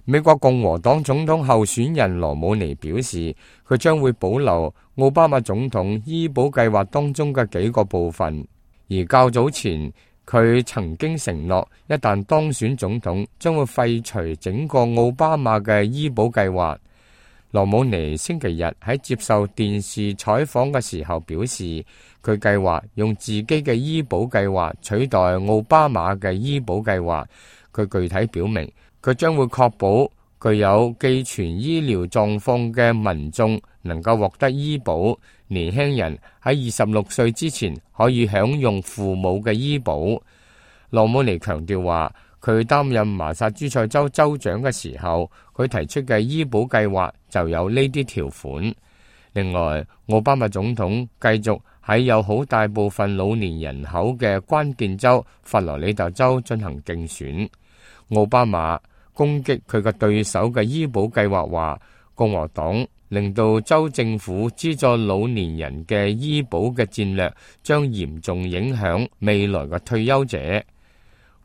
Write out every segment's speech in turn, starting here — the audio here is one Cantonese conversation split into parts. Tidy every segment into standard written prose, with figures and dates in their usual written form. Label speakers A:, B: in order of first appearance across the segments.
A: 美國共和黨總統候選人羅姆尼表示，佢將會保留奧巴馬總統醫保計劃當中嘅幾個部分，而較早前佢曾經承諾，一旦當選總統，將會廢除整個奧巴馬嘅醫保計劃。羅姆尼星期日喺接受電視採訪嘅時候表示，佢計劃用自己嘅醫保計劃取代奧巴馬嘅醫保計劃。佢具體表明，佢將會確保具有寄存醫療狀況嘅民眾能夠獲得醫保，年輕人喺26歲之前可以享用父母嘅醫保。羅姆尼強調話，佢擔任麻薩諸塞州州長嘅時候，佢提出嘅醫保計劃就有呢啲條款。另外，奧巴馬總統繼續喺有好大部分老年人口嘅關鍵州佛羅里達州進行競選。奧巴馬攻擊佢嘅對手嘅醫保計劃，話共和黨令到州政府資助老年人嘅醫保嘅戰略將嚴重影響未來嘅退休者。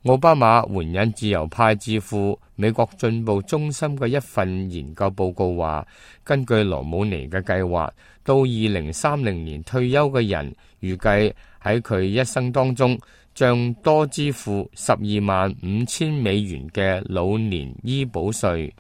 A: 奧巴馬援引自由派智庫美國進步中心嘅一份研究報告話，根據羅姆尼嘅計劃，到2030年退休嘅人預計喺佢一生當中將多支付12萬5千美元嘅老年醫保稅。